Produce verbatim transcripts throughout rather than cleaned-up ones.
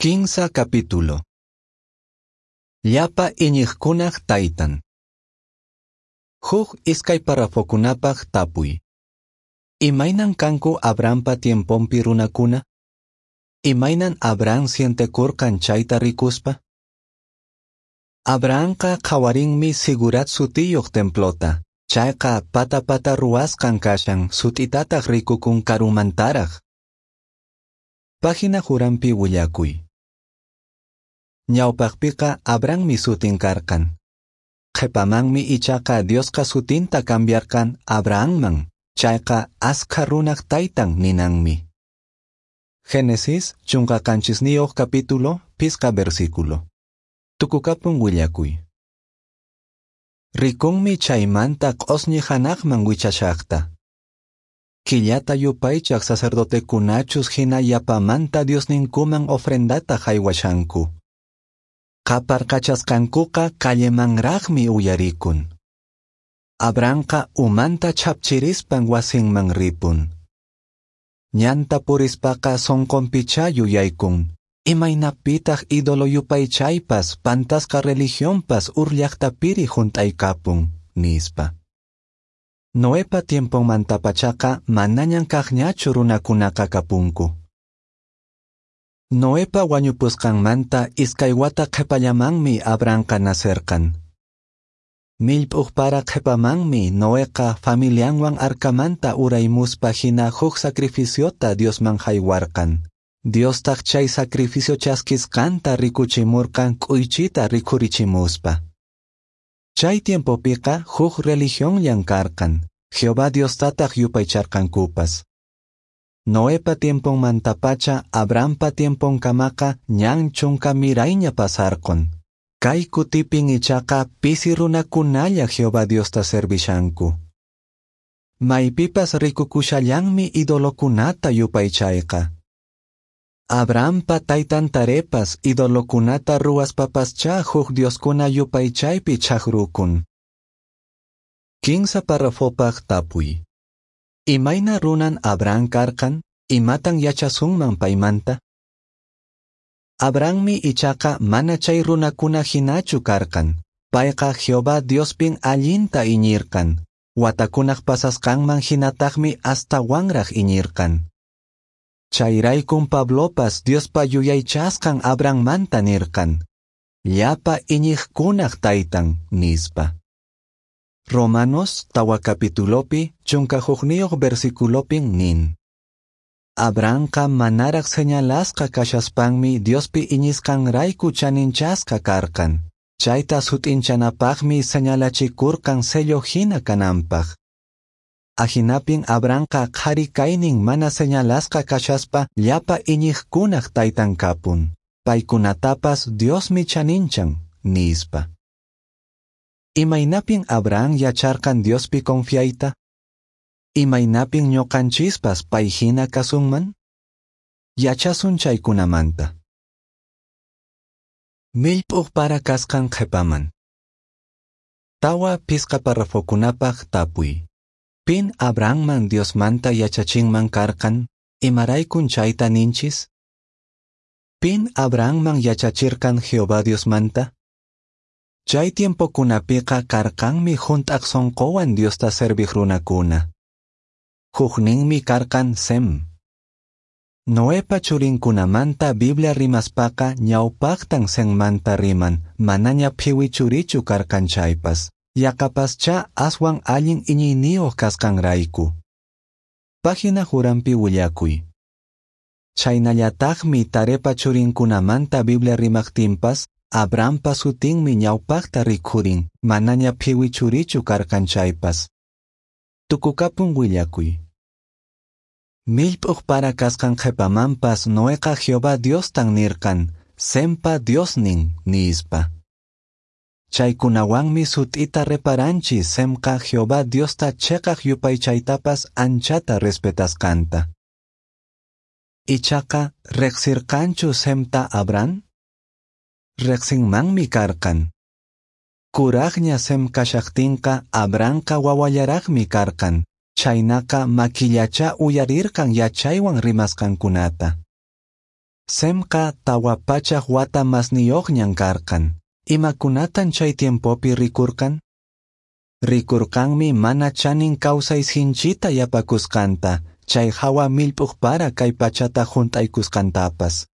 Kinsa capítulo. Llapa iñiqkunaq taytan. Huk iskay parrafokunapaq tapuy. Imaynan kanku Abrahampa tiemponpi runakuna? Imaynan Abraham sientekurqan chayta rikuspa? Abrahamqa qhawarinmi Zigurat sutiyuq templota. Chayqa pata-pata ruwasqan kashan sut'itataq rikukun karumantaraq. Página huranpi willakuy. Ñawpaqpiqa Abrahammi sutin karqan. Qhipamanmi ichaqa Diosqa sutinta cambiarqan Abrahamman. Chayqa askha runaq taytan ninanmi. Génesis chunka qanchisniyuq capítulo pisqa versículo. Tukukapun willakuy. Rikunmi chaymanta q'osñi hanaqman wichashaqta. Killata yupaychaq sacerdotekunachus hina yapamanta Diosninkuman ofrendata haywashanku. Qaparqachasqankuqa callemanraqmi uyarikun. Abrahamqa umanta chhapchirispan wasinman ripun. Ñanta purispaqa sonqonpichá yuyaykun. Imaynapitaq ídolo yupaychaypas pantasqa religionpas Ur llaqtapiri hunt'aykapun, nispa. Noepa tiemponmantapachaqa manañan kaqñachu runakunaqa kapunku. Noepa wañupusqanmanta iskay wata qhipallamanmi Abrahamqa nacerqan. Millp'uq para qhipamanmi Noeqa familianwan arcamanta uraymuspa hina huk sacrificiota Diosman haywarqan. Diostaq chay sacrificio chaskisqanta rikuchimurqan k'uychita rikhurichimuspa. Chay tiempopiqa huk religionllan karqan, Jehová Diostataq yupaycharqankupas. Noepa tiemponmantapacha Abrahampa tiemponkamaqa ñan chunka mirayña pasarqun. Kay kutipin ichaqa pisi runakunalla Jehová Diosta servishanku. Maypipas rikukushallanmi idolokunata yupaychayqa. Abrahampa taytan Tarepas idolokunata ruwaspapaschá huk dioskuna yupaychaypi chaqrukun. Kinsa parrafopaq tapuy. Imayna runan Abraham karqan? Imatan yachasunman paymanta? Abrahammi ichaqa mana chay runakuna hinachu karqan. Payqa Jehová Diospin allinta iñirqan. Watakunaq pasasqanman hinataqmi astawanraq iñirqan. Chayraykun Pablopas Diospa yuyaychasqan Abrahammanta nirqan. Llapa iñiqkunaq taytan, nispa. Romanos tawa capitulopi chunka hukniyuq versiculopin nin. Abrahamqa manaraq señalasqa kashaspanmi Diospi iñisqanrayku chaninchasqa karqan. Chayta sut'inchanapaqmi señalachikurqan sello hina kananpaq. Ahinapin Abrahamqa qhari kaynin mana señalasqa kashaspa llapa iñiqkunaq taytan kapun. Paykunatapas Diosmi chaninchan, nispa. Imaynapin Abraham yacharqan Diospi confiayta? Imaynapin ñuqanchispas pay hina kasunman? Yachasun chaykunamanta. Millp'uq para kasqan qhipaman. Tawa pisqa parrafokunapaq tapuy. Pin Abrahamman Diosmanta yachachinman karqan? Imaraykun chayta ninchis? Pin Abrahamman yachachirqan Jehová Diosmanta? Chay tiempokunapiqa karqanmi hunt'aq sonqowan Diosta serviq runakuna. Hukninmi karqan Sem. Noepa churinkunamanta Biblia rimaspaqa ñawpaqtan Semmanta riman, manaña phiwi churichu karqan chaypas. Yaqapaschá aswan allin iñiyniyuq kasqanrayku. Página huranpi willakuy. Chaynallataqmi Tarepa churinkunamanta Biblia rimaqtinpas, Abrahampa sutinmi ñawpaqta rikhurin, manaña phiwi churichu karqan chaypas. Tukukapun willakuy. Millp'uq para kasqan qhipamanpas Noeqa Jehová Diostan nirqan, Sempa Diosnin, nispa. Chaykunawanmi sut'ita reparanchis Semqa Jehová Diosta cheqaq yupaychaytapas anchata respetasqanta. Ichaqa riqsirqanchu Semta Abraham? Riqsinmanmi karqan. Kuraqña Sem kashaqtinqa Abrahamqa wawallaraqmi karqan. Chaynaqa makillacha uyarirqan yachaywan rimasqankunata. Semqa tawa pachak wata masniyoqñan karqan. Imakunatan chay tiempopi rikurqan? Rikurqanmi mana chanin kawsay sinchita yapakusqanta, chay hawa millp'uq para kay pachata hunt'aykusqantapas.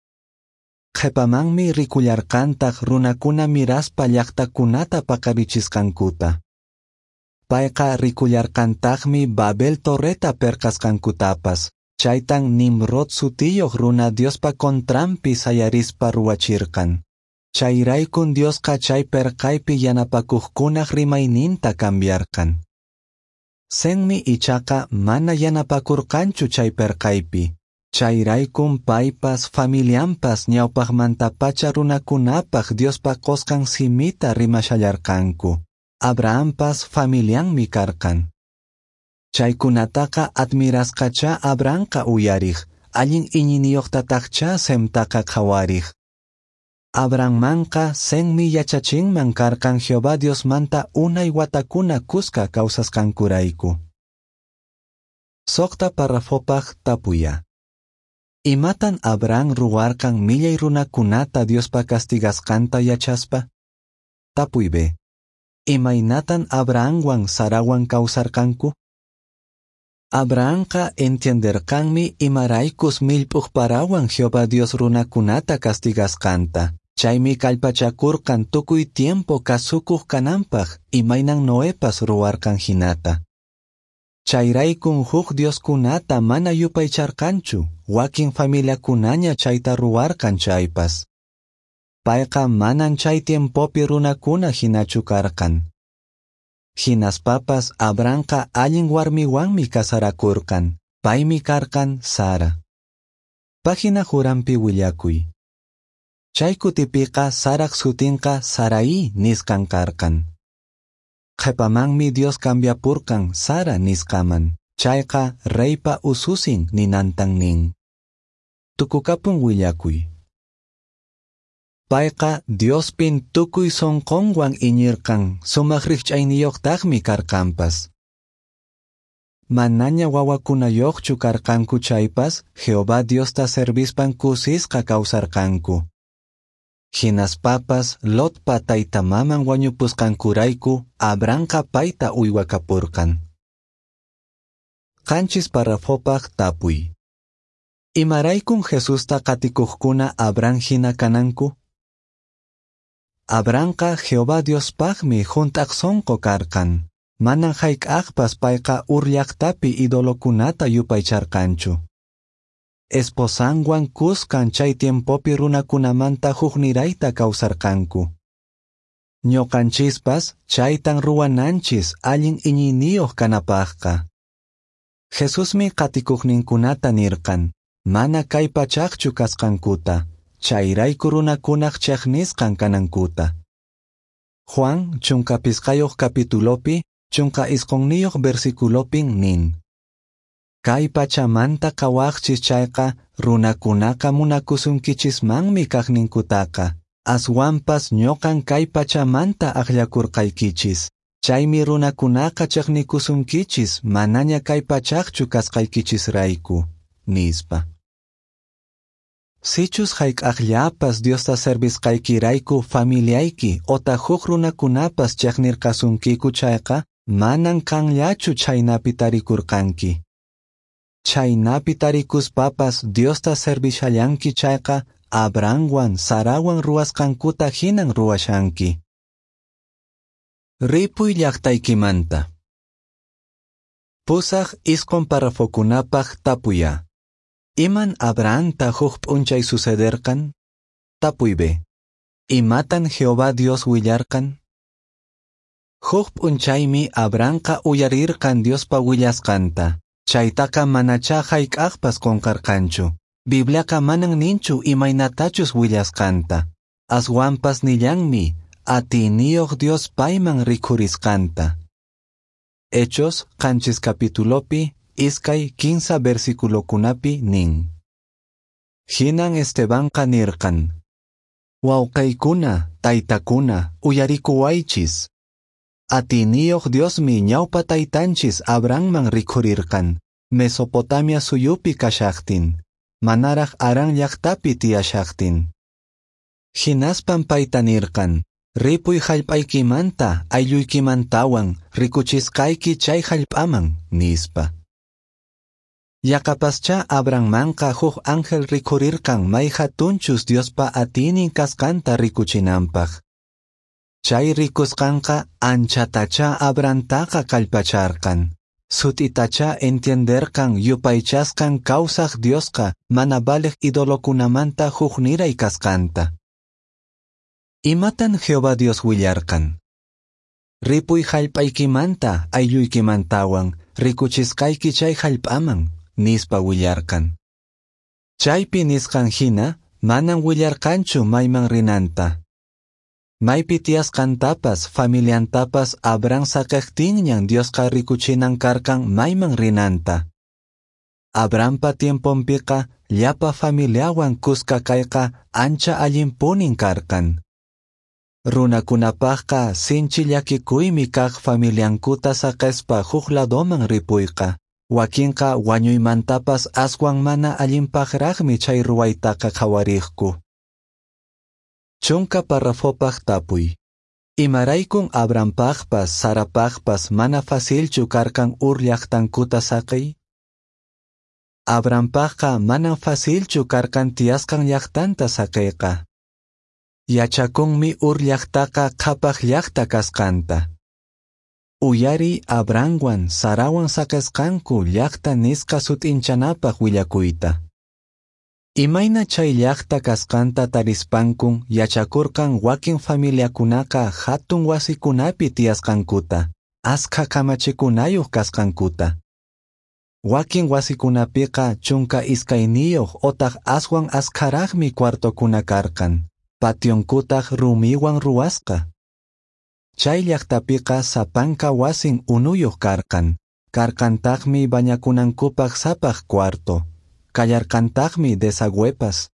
Qhepamanmi rikullarqantaq runakuna miraspa llaqtakunata paqarichisqankuta. Payqa rikullarqantaqmi Babel torreta perqasqankutapas, chaytan Nimrod sutiyuq runa Diospa contranpi sayarispa ruwachirqan. Chayraykun Diosqa chay perqaypi yanapakuqkunaq rimayninta cambiarqan. Semmi ichaqa mana yanapakurqanchu chay perqaypi. Chayraykun paypas familianpas ñawpaqmantapacha runakunapaq Diospa qosqan simita rimashallarqanku. Abrahampas familianmi karqan. Chaykunataqa admirasqacha Abrahamqa uyariq, allin iñiniyuqtataqcha Semtaqa qhawariq. Abrahammanqa Semmi yachachinman karqan Jehová Diosmanta unay watakuna kuska kawsasqankurayku. Suqta parrafopaq tapuya. Imatan Abraham ruwarqan millay runakunata Diospa castigasqanta yachaspa? Tapuy B. Imaynatan Abrahamwan Sarawan kawsarqanku? Abrahamqa entienderqanmi imaraykus millp'uq parawan Jehová Dios runakunata castigasqanta. Chaymi kallpachakurqan tukuy tiempo kasukuq kananpaq imaynan Noepas ruwarqan hinata. Chayraykun huk dioskunata mana yupaycharqanchu, wakin familiakunaña chayta ruwarqan chaypas. Payqa manan chay tiempopi runakuna hinachu karqan. Hinaspapas Abrahamqa allin warmiwanmi casarakurqan, paymi karqan Sara. Página Jurampi willakuy. Chay kutipiqa Saraq sutinqa Sarai nisqan karqan. Qhepamanmi Dios cambiapurqan Sara nisqaman, chayqa reypa ususin ninantan nin. Tukukapun willakuy. Payqa Diospin tukuy sonqonwan iñirqan, sumaq rikch'ayniyuqtaqmi karqanpas. Manaña wawakunayuqchu karqanku chaypas, Jehová Diosta servispan kusisqa kawsarqanku. Hinaspapas Lotpa taytamaman wañupusqankurayku Abrahamqa payta uywakapurqan. Qanchis parrafopaq tapuy. Imaraykun Jesusta qatikuqkuna Abraham hina kananku? Abrahamqa Jehová Diospaqmi hunt'aq sonqo karqan. Manan hayk'aqpas payqa Ur llaqtapi idolokunata yupaycharqanchu. Esposanwan kuskan chay tiempopi runakunamanta huknirayta kawsarqanku. Ñuqanchispas chaytan ruwananchis allin iñiyniyuq kanapaqqa. Jesusmi qatikuqninkunata nirqan, mana kay pachaqchu kasqankuta, chayrayku runakunaq chaqnisqan kanankuta. Juan chunka pisqayuq capitulopi, chunka isqunniyuq versiculopin nin. Kay pachamanta qawaqchis chayqa runakunaqa munakusunkichismanmi kaqninkutaqa, aswanpas ñuqan kay pachamanta akllakurqaykichis, chaymi runakunaqa chaqnikusunkichis manaña kay pachaqchu kasqaykichisrayku, nispa. Sichus hayk'aqllapas Diosta servisqaykirayku familiayki otaq huk runakunapas chaqnirqasunkiku chayqa, manan qanllachu chhaynapi tarikurqanki. Chhaynapi tarikuspapas Diosta servishallanki chayqa, Abrahamwan Sarawan ruwasqankuta hinan ruwashanki. Ripuy llaqtaykimanta. Pusaq isqun parrafokunapaq tapuya. Iman Abrahamta huk p'unchay sucederqan? Tapuy B. Imatan Jehová Dios willarqan? Huk p'unchaymi Abrahamqa uyarirqan Diospa willasqanta. Chaytaqa manacha hayk'aqpas qunqarqanchu. Bibliaqa manan ninchu imaynatachus willasqanta. Aswanpas nillanmi atiyniyuq Dios payman rikhurisqanta. Hechos qanchis capitulopi iskay kinsa versiculokunapi nin. Hinan Estebanqa nirqan: Wawqiykuna, taytakuna, uyarikuwaychis. Atiyniyuq Diosmi ñawpa taytanchis Abrahamman rikhurirqan, Mesopotamia suyupi kashaqtin. manaraq Harán llaqtapi tiyashaqtin. Hinaspan payta nirqan, Ripuy hallp'aykimanta aylluykimantawan rikuchisqayki chay hallp'aman, nispa. Yaqapaschá Abrahammanqa huk ángel rikhurirqan may hatunchus Diospa atiynin kasqanta rikuchinanpaq. Chay rikusqanqa anchatachá Abrahamtaqa kallpacharqan. Sut'itachá entienderqan yupaychasqan kawsaq Diosqa mana valeq idolokunamanta hukniray kasqanta. Imatan Jehová Dios willarqan? Ripuy hallp'aykimanta aylluykimantawan rikuchisqayki chay hallp'aman, nispa willarqan. Chaypi nisqan hina manan willarqanchu mayman rinanta. Maypi tiyasqantapas familiantapas Abraham saqeqtinñan Diosqa rikuchinan karqan mayman rinanta. Abrahampa tiemponpiqa llapa familiawan kuska kayqa ancha allinpunin karqan. Runakunapaqqa sinchi llakikuymi kaq familiankuta saqespa huk ladoman ripuyqa. Wakinqa wañuymantapas aswan mana allinpaqraqmi chay ruwaytaqa qhawariqku. Chunka parrafopaq tapuy. Imaraykun Abrahampaqpas Sarapaqpas mana facilchu karqan Ur llaqtankuta saqiy? Abrahampaqqa manan facilchu karqan tiyasqan llaqtanta saqiyqa. Yachakunmi Ur llaqtaqa qhapaq llaqta kasqanta. Uyariy Abrahamwan Sarawan saqesqanku llaqta nisqa sut'inchanapaq willakuyta. Imayna chay llaqta kasqanta tarispankun yachakurqan wakin familiakunaqa hatun wasikunapi tiyasqankuta, askha kamachikunayuq kasqankuta. Wakin wasikunapiqa chunka iskayniyuq otaq aswan askharaqmi cuartokuna karqan, pationkutaq rumiwan ruwasqa. Chay llaqtapiqa sapanka wasin unuyuq karqan, karqantaqmi bañakunankupaq sapaq cuarto. Kallarqantaqmi desagüepas.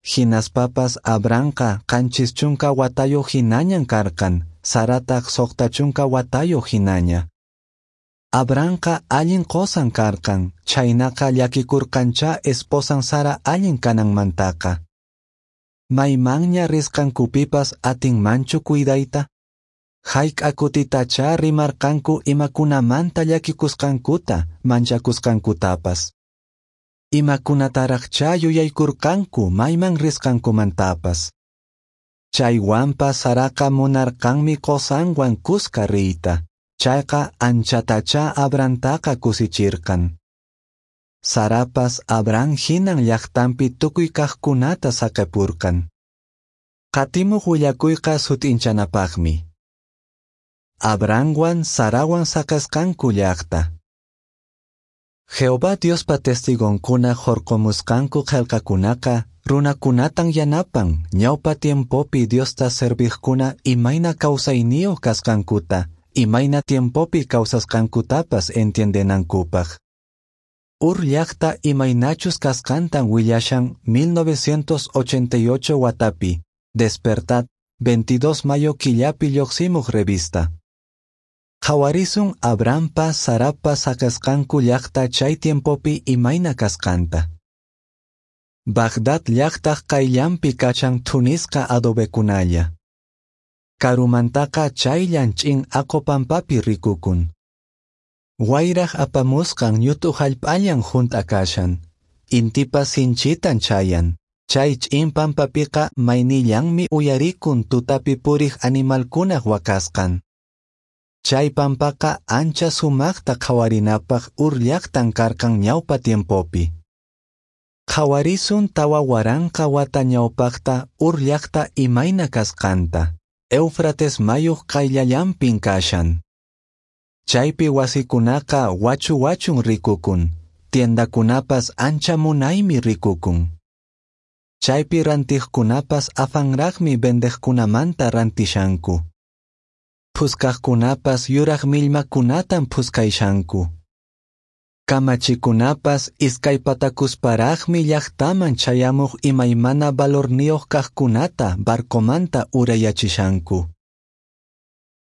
Hinaspapas Abrahamqa qanchis chunka watayuq hinañan karqan, Sarataq suqta chunka watayuq hinaña. Abrahamqa allin qosan karqan, chhaynaqa llakikurqanchá esposan Sara allin kananmantaqa. Maymanña risqankupipas atinmanchu cuidayta? Hayk'a kutitachá rimarqanku imakunamanta llakikusqankuta, manchakusqankutapas. Imakunataraqchá yuyaykurqanku mayman risqankumantapas. Chaywanpas Saraqa munarqanmi qosanwan kuska riyta. Chayqa anchatachá Abrahamtaqa kusichirqan. Sarapas Abraham hinan llaqtanpi tukuy kaqkunata saqepurqan. Qatimuq willakuyqa sut'inchanapaqmi. Abrahamwan Sarawan saqesqanku llaqta. Jehová Diospa testigonkuna hurqumusqanku qillqakunaqa runakunatan yanapan ñawpa tiempopi Diosta serviqkuna imayna kawsayniyuq kasqankuta, imayna tiempopi kawsasqankutapas entiendenankupaq. Ur llaqta imaynachus kasqantan willashan mil novecientos ochenta y ocho watapi, Despertad, veintidós mayo killapi lluqsimuq revista. Qhawarisun Abrahampa Sarapa saqesqanku llaqta chay tiempopi imayna kasqanta. Bagdad llaqtaq qayllanpi kachan thunisqa adobekunalla. Karumantaqa chayllan ch'in aqo pampapi rikukun. Wayraq apamusqan ñut'u hallp'allan hunt'a kashan. Intipas sinchitan chayan. Chay ch'in pampapiqa maynillanmi uyarikun tutapi puriq animalkunaq waqasqan. Chay pampaqa ancha sumaqta qhawarinapaq Ur llaqtan karqan ñawpa tiempopi. Qhawarisun tawa waranqa wata ñawpaqta Ur llaqta imayna kasqanta. Éufrates mayuq qayllallanpin kashan. Chaypi wasikunaqa wachu wachun rikukun, tiendakunapas ancha munaymi rikukun. Chaypi rantiqkunapas afanraqmi vendeqkunamanta rantishanku. Phuskaqkunapas yuraq millmakunatan phuskayshanku. Kamachikunapas iskaypatakusparaqmi llaqtaman chayamuq imaymana valorniyuq kaqkunata barcomanta urayachishanku.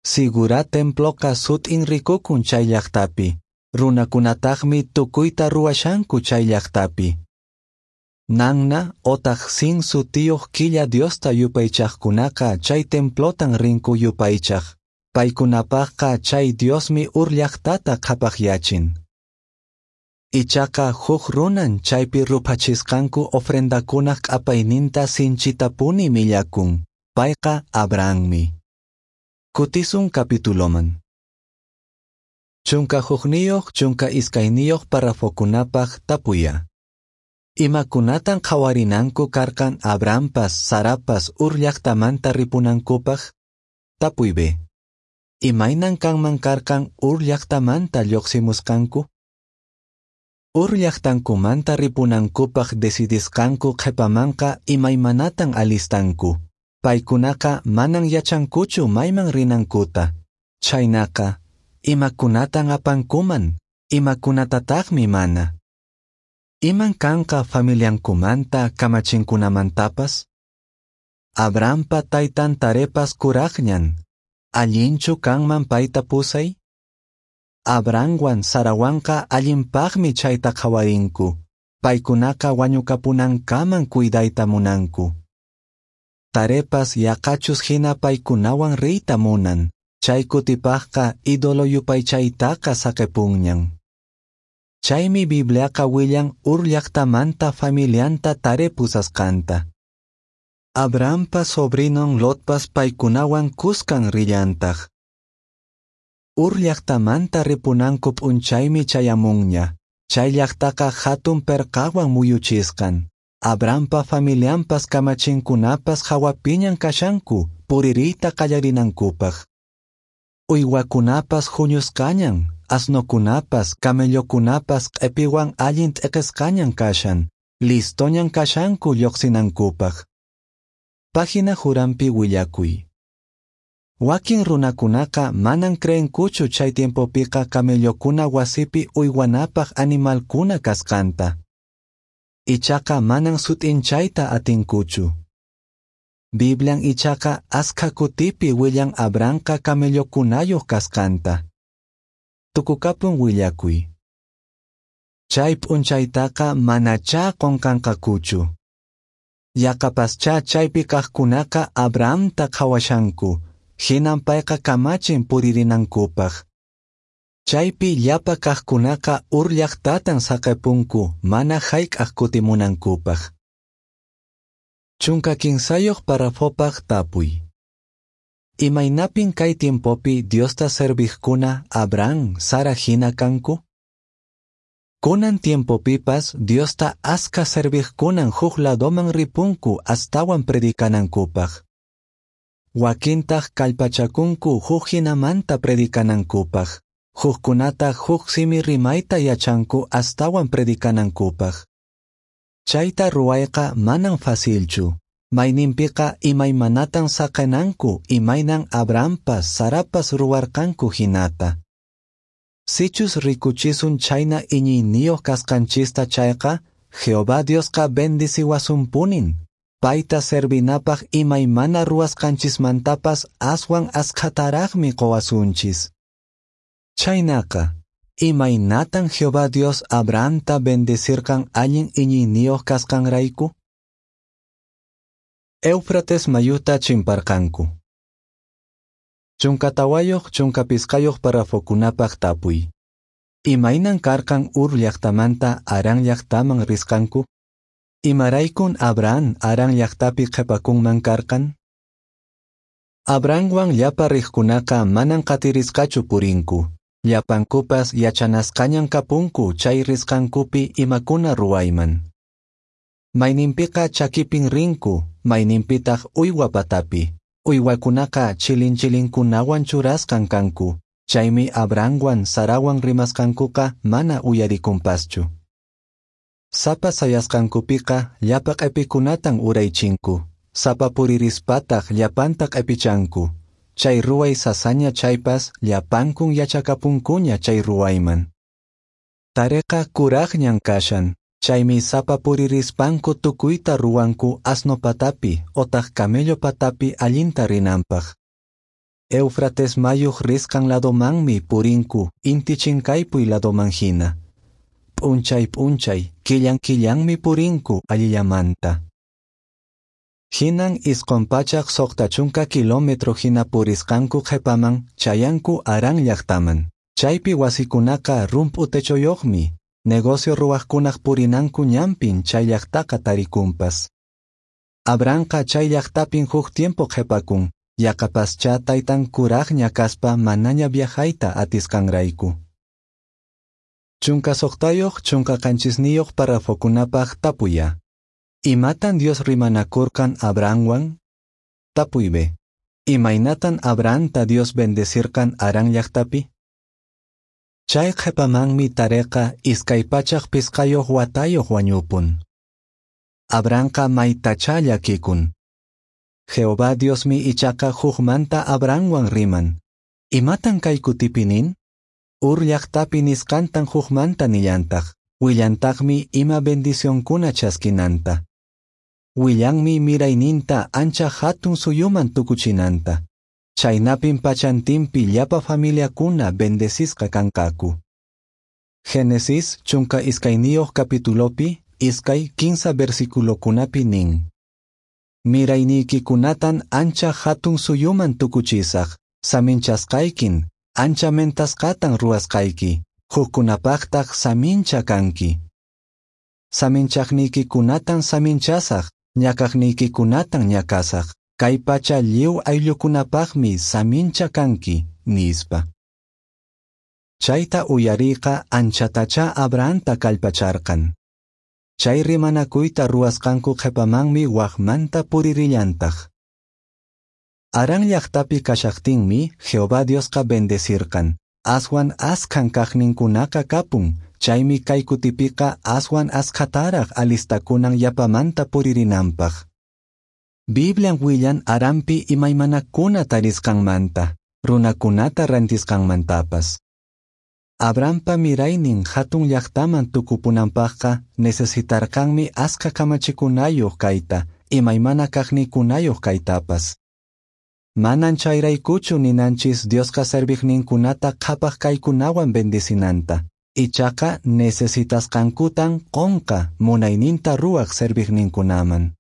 Zigurat temploqa sut'in rikukun chay llaqtapi, runakunataqmi tukuyta ruwashanku chay llaqtapi. Nanna otaq Sin sutiyoq killa diosta yupaychaqkunaqa chay templotan rinku yupaychaq. Paykunapaqqa chay diosmi Ur llaqtata qhapaqyachin. Ichaqa huk runan chaypi ruphachisqanku ofrendakunaq q'apayninta sinchitapuni millakun. Payqa Abrahammi. Kutisun capituloman. Chunka hukniyuq, chunka iskayniyuq parrafokunapaq tapuya. Imakunatan qhawarinanku karqan Abrahampas, Sarapas Ur llaqtamanta ripunankupaq? Tapuy B. Imaynan kanman karqan Ur llaqtamanta lluqsimusqanku? Ur llaqtankumanta ripunankupaq decidisqanku qhipamanqa imaymanatan alistanku. Paykunaqa manan yachankuchu mayman rinankuta. Chhaynaqa, imakunatan apankuman, imakunatataqmi mana. Iman kanqa familiankumanta kamachinkunamantapas? Abrahampa taytan Tarepas kuraqñan. Allinchu kanman payta pusay? Abrahamwan Sarawanqa allinpaqmi chayta qhawarinku. Paykunaqa wañukapunankaman cuidayta munanku. Tarepas yaqachus hina paykunawan riyta munan. Chay kutipaqqa ídolo yupaychaytaqa saqepunñan. Chaymi Bibliaqa willan Ur llaqtamanta familianta Tare pusasqanta. Abrahampa sobrinon Lotpas paykunawan kuskan rillantaq. Ur llaqtamanta ripunanku p'unchaymi chayamunña. Chay llaqtaqa hatun perqawan muyuchisqan. Abrahampa familianpas kamachinkunapas hawapiñan kashanku puririyta qallarinankupaq. Uywakunapas huñusqañan, asnokunapas, camellokunapas q'epiwan allin t'iqisqañan kashan, listoñan kashanku lluqsinankupaq. Página Jurampi willakuy. Wakin runakunaqa manan creenkuchu chay tiempopiqa camellokuna wasipi uywanapaq animalkuna kasqanta. Ichaqa manan sut'inchayta atinkuchu. Biblian ichaqa askha kutipi willan Abrahamqa camellokunayuq kasqanta. Tukukapun willakuy. Chay p'unchaytaqa manachá qunqanqakuchu. Yaqapaschá chaypi kaqkunaqa Abrahamta qhawashanku, hinan payqa kamachin puririnankupaq. Chaypi llapa kaqkunaqa Ur llaqtatan saqepunku mana hayk'aq kutimunankupaq. Chunka kinsayuq parrafopaq tapuy. Imaynapin kay tiempopi Diosta serviqkuna Abraham, Sara hina kanku? Kunan tiempopipas Diosta askha serviqkunan huk ladoman ripunku astawan predicanankupaq. Wakintaq kallpachakunku huk hinamanta predicanankupaq. Hukkunataq huk simi rimayta yachanku astawan predicanankupaq. Chayta ruwayqa manan facilchu. Mayninpiqa imaymanatan saqenanku imaynan Abrahampas, Sarapas ruwarqanku hinata. Sichus rikuchisun chhayna iñiyniyuq kasqanchista chayqa, Jehová Diosqa bendiciwasunpunin. Payta servinapaq imaymana ruwasqanchismantapas aswan askhataraqmi qowasunchis. Chhaynaqa, imaynatan Jehová Dios Abrahamta bendecirqan allin iñiyniyuq kasqanrayku? Éufrates mayuta chimparqanku. Chunka tawayuq, chunka pisqayuq parrafokunapaq tapuy. Imaynan karqan Ur llaqtamanta Harán llaqtaman risqanku? Imaraykun Abraham Harán llaqtapi qhipakunman karqan? Abrahamwan llapa riqkunaqa manan qatirisqachu purinku. Llapankupas yachanasqañan kapunku chay risqankupi imakuna ruwayman. Mayninpiqa chakipin rinku, mayninpitaq uywa patapi. Uywakunaqa chilin chilinkunawan churasqan kanku, chaymi Abrahamwan Sarawan rimasqankuqa mana uyarikunpaschu. Sapa sayasqankupiqa llapa q'epikunatan uraychinku, sapa puririspataq llapanta q'epichanku. Chay ruway sasaña chaypas llapankun yachakapunkuña chay ruwayman. Tareqa kuraqñan kashan, chaymi sapa puririspanku tukuyta ruwanku asno patapi otaq camello patapi allinta rinanpaq. Éufrates mayuq risqan ladomanmi purinku inti chinkaypuy ladoman hina. P'unchay p'unchay, killan killanmi purinku allillamanta. Hinan isqon pachak soqta chunka kilómetro hina purisqanku qhepaman chayanku Harán llaqtaman. Chaypi wasikunaqa rump'u techoyoqmi, negocio ruwaqkunaq purinanku ñanpin chay llaqtaqa tarikunpas. Abrahamqa chay llaqtapin huk tiempo qhepakun, yaqapaschá taytan kuraqña kaspa manaña viajayta atisqanrayku. Chunka soqtayoq chunka qanchisniyoq parrafokunapaq tapuya. Imatan Dios rimanakurqan Abrahamwan? Tapuy B. Imaynatan Abrahamta Dios bendecirqan Harán llaqtapi? Chay qhepamanmi Tareqa iskay pachak pisqayoq watayoq wañupun. Abrahamqa maytachá llakikun. Jehová Diosmi ichaqa hukmanta Abrahamwan riman. Imatan kay kutipi nin? Ur llaqtapi nisqantan hukmanta nillantaq. Willantaqmi ima bendicionkuna chaskinanta. Willanmi mirayninta ancha hatun suyuman tukuchinanta. Chaynapin pachantinpi llapa familiakuna bendecisqa kanqaku. Génesis chunka iskayniyuq capitulopi iskay kinsa versiculokunapi nin. Mirayniykikunatan ancha hatun suyuman tukuchisaq, saminchasqaykin, ancha mentasqatan ruwasqayki, hukkunapaqtaq samincha kanki. Saminchaqniykikunatan saminchasaq, ñakaqniykikunatan ñakasaq, kay pacha lliw ayllukunapaqmi samincha kanki, nispa. Chayta uyariyqa anchatachá Abrahamta kallpacharqan. Chay rimanakuyta ruwasqanku qhepamanmi waqmanta puririllantaq. Harán llaqtapi kashaqtinmi Jehová Diosqa bendecirqan. Aswan askhan kaqninkunaqa kapun, chaymi kay kutipiqa aswan askhataraq alistakunan yapamanta puririnanpaq. Biblian willan Haranpi imaymanakuna tarisqanmanta, runakunata rantisqanmantapas. Abrahampa miraynin hatun llaqtaman tukupunanpaqqa necesitarqanmi askha kamachikunayoq kayta, imaymana kaqnikunayoq kaytapas. Manan chayraykuchu ninanchis Diosqa serviqninkunata qhapaq kaykunawan bendecinanta. Ichaqa necesitasqankutan qonqa munayninta ruwaq serviqninkunaman.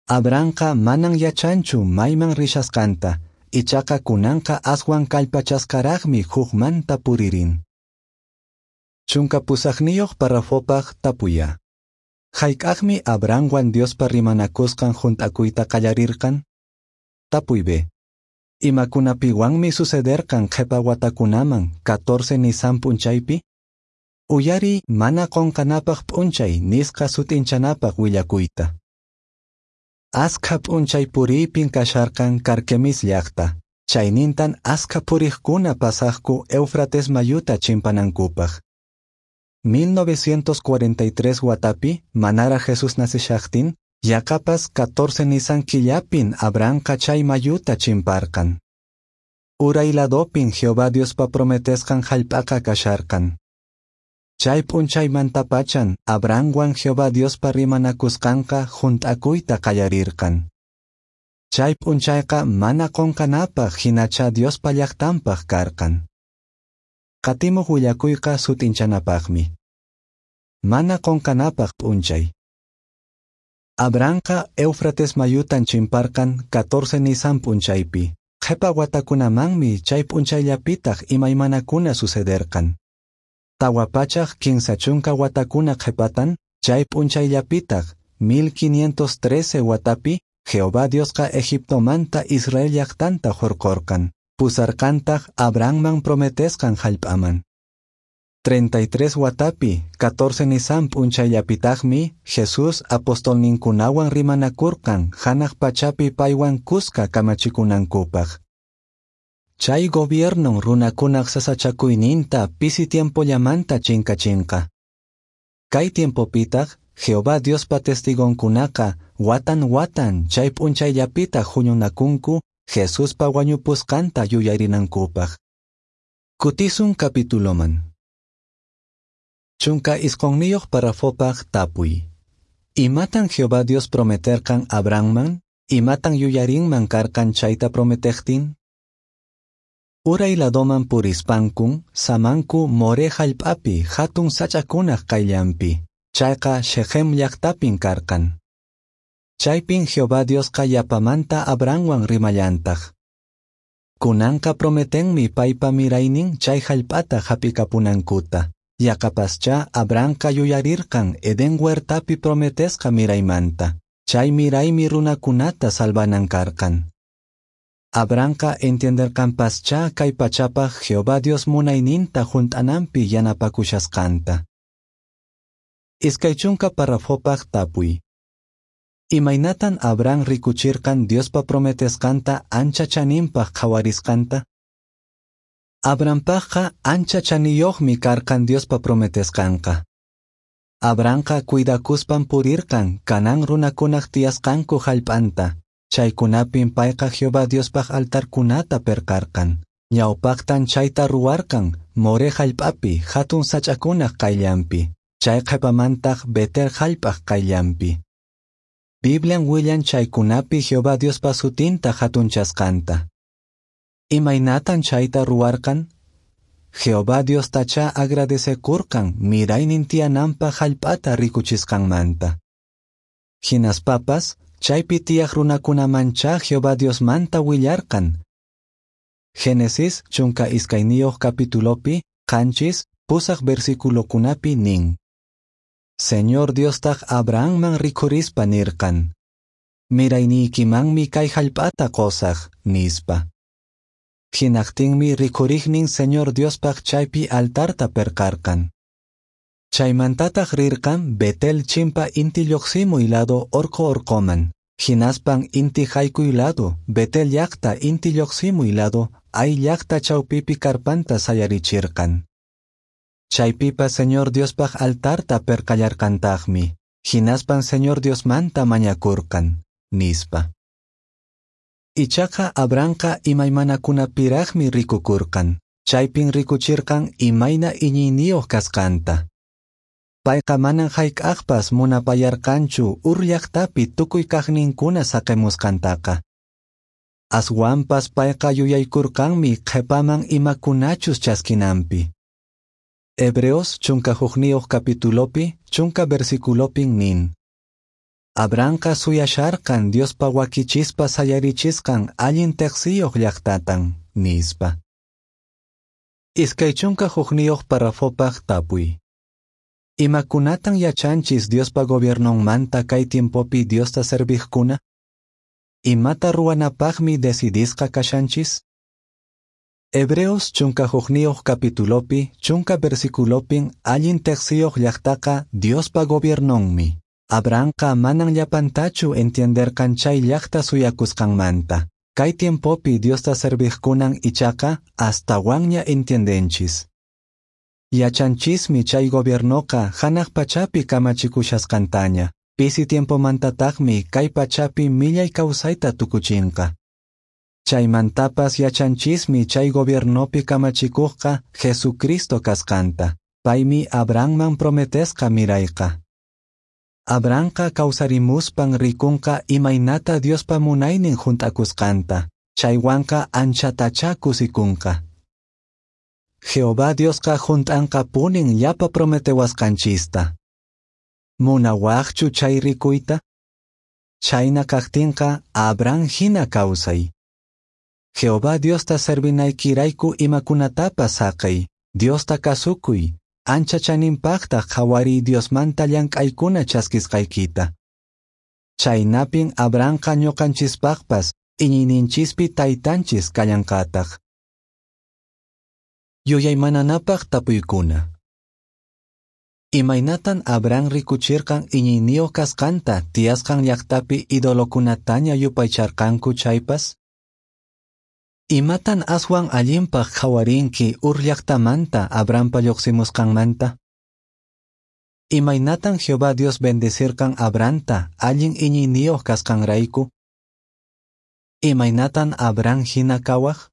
Abrahamqa manan yachanchu mayman rishasqanta, ichaqa kunanqa aswan kallpachasqaraqmi hukmanta puririn. Chunka pusaqniyuq parrafopaq tapuya. Hayk'aqmi Abrahamwan Diospa rimanakusqan hunt'akuyta qallarirqan? Tapuy B. Imakunapiwanmi sucederqan qhepa watakunaman catorce Nisan p'unchaypi? Uyariy mana qonqanapaq p'unchay nisqa sut'inchanapaq willakuyta. Askha p'unchay puriypin kasharqan Carquemis llaqta. Chaynintan askha puriqkuna pasaqku Éufrates mayuta chimpanankupaq. mil novecientos cuarenta y tres watapi manara Jesús naceshaqtin, yaqapas catorce Nisan killapin Abrahamqa chay mayuta chimparqan. Uray ladopin Jehová Diospa prometesqan hallp'aqa kasharqan. Chay p'unchaymantapachan Abrahamwan Jehová Diospa rimanakusqanqa hunt'akuyta qallarirqan. Chay p'unchayqa mana qonqanapaq hinacha Diospa llaqtanpaq karqan. Qatimuq willakuyqa sut'inchanapaqmi. Mana qonqanapaq p'unchay. Abrahamqa Éufrates mayutan chimparqan catorce Nisan p'unchaypi. Qhepa watakunamanmi chay p'unchayllapitaq imaymanakuna sucederqan. Tawa pachak kinsa chunka watakuna qhepatan chay p'unchayllapitaq mil quinientos trece watapi Jehová Diosqa Egiptomanta Israel llaqtanta hurqurqan. Pusarqantaq Abrahamman prometesqan hallp'aman. treinta y tres watapi catorce Nisan p'unchayllapitaqmi Jesús apostolninkunawan rimanakurqan hanaq pachapi paywan kuska kamachikunankupaq. Chay gobiernon runakunaq sasachakuyninta pisi tiempollamanta chinkachinqa. Kay tiempopitaq Jehová Diospa testigonkunaqa watan watan chay p'unchayllapitaq huñunakunku Jesuspa wañupusqanta yuyarinankupaq. Kutisun capituloman. Chunka isqonniyuq parrafopaq tapuy. Imatan Jehová Dios prometerqan Abrahamman? Imatan yuyarinman karqan chayta prometejtin? Uray ladoman purispankun samanku Moré hallp'api hatun sach'akunaq qayllanpi, chayqa Shechem llaqtapin karqan. Chaypin Jehová Diosqa yapamanta Abrahamwan rimallantaq. Kunanqa prometenmi paypa miraynin chay hallp'ata hap'ikapunankuta. Yaqapaschá Abrahamqa yuyarirqan Edén huertapi prometesqa miraymanta. Chay miraymi runakunata salvanan karqan. Abrahamqa entienderqanpaschá kay pachapaq Jehová Dios munayninta hunt'ananpi yanapakushasqanta. Iskay chunka parrafopaq tapuy. Imaynatan Abraham rikuchirqan Diospa prometesqanta ancha chaninpaq qhawarisqanta? Abrahampaqqa ancha chaniyuqmi karqan Diospa prometesqanqa. Abrahamqa cuidakuspan purirqan Canaán runakunaq tiyasqanku hallp'anta. Chaykunapin payqa Jehová Diospaq altarkunata perqarqan. Ñawpaqtan chayta ruwarqan Moré hallp'api hatun sach'akunaq qayllanpi, chay qhipamantaq Betel hallp'aq qayllanpi. Biblian willan chaykunapi Jehová Diospa sutinta hatunchasqanta. Imaynatan chayta ruwarqan? Jehová Diostacha agradecekurqan miraynin tiyananpaq hallp'ata rikuchisqanmanta. Hinaspapas, chaypi tiyaq runakunamanchá Jehová Diosmanta willarqan. Génesis chunka iskayniyuq capitulopi, qanchis, pusaq versiculokunapi nin. Señor Diostaq Abrahamman rikhurispa nirqan. Mirayniykimanmi kay hallp'ata qusaq, nispa. Hinaqtinmi rikhuriqnin Señor Diospaq chaypi altarta perqarqan. Chaymantataq rirqan Betel chimpa inti lluqsimuy lado orqo orqoman. Hinaspan inti haykuy lado, Betel llaqta inti lluqsimuy lado, Ai llaqta chawpipi karpanta sayarichirqan. Chaypipas Señor Diospaq altarta perqallarqantaqmi. Hinaspan Señor Diosmanta mañakurqan, nispa. Ichaqa Abrahamqa imaymanakunapiraqmi rikukurqan. Chaypin rikuchirqan imayna iñiyniyuq kasqanta. Payqa manan hayk'aqpas munapayarqanchu Ur llaqtapi tukuy kaqninkuna saqimusqantaqa. Aswanpas payqa yuyaykurqanmi qhipaman imakunachus chaskinanpi. Hebreos chunka hukniyuq capitulopi, chunka versiculopin nin. Abrahamqa suyasharqan Diospa wakichispa sayarichisqan allin teqsiyuq llaqtatan, nispa. Iskay chunka hukniyuq parrafopaq tapuy. Imakunatan yachanchis Diospa gobiernonmanta kay tiempopi Diosta serviqkuna? Imata ruwanapaqmi decidisqa kashanchis? Hebreos chunka hukniyuq capitulopi, chunka versiculopin allin teqsiyuq llaqtaqa Diospa gobiernonmi. Abrahamqa manan llapantachu entienderqan chay llaqta suyakusqanmanta. Kay tiempopi Diosta serviqkunan ichaqa astawanña entiendenchis. Yachanchismi chay gobiernoqa hanaq pachapi kamachikushasqantaña. Pisi tiempomantataqmi kay pachapi millay kawsayta tukuchinqa. Chaymantapas yachanchismi chay gobiernopi kamachikuqqa Jesucristo kasqanta. Paymi Abrahamman prometesqa mirayqa. Abrahamqa kawsarimuspan rikunqa imaynata Diospa munaynin hunt'akusqanta. Chaywanqa anchatachá kusikunqa. Jehová Diosqa hunt'anqapunin llapa prometewasqanchista. Munawaqchu chay rikuyta? Chayna kaqtinqa Abraham hina kawsay. Jehová Diosta servinaykirayku imakunatapas saqey, Diosta kasukuy, ancha chaninpaqtaq qhawariy Diosmanta llank'aykuna chaskisqaykita. Chaynapin Abrahamqa ñuqanchispaqpas iñiyninchispi taytanchis kallanqataq. Yuyaymananapaq tapuykuna. Imaynatan Abraham rikuchirqan iñiyniyuq kasqanta tiyasqan llaqtapi idolokunataña yupaycharqanku chaypas? Imatan aswan allinpaq qhawarinki Ur llaqtamanta Abrahampa lluqsimusqanmanta? Imaynatan Jehová Dios bendecirqan Abrahamta allin iñiyniyuq kasqanrayku? Imaynatan Abraham hina kawaq?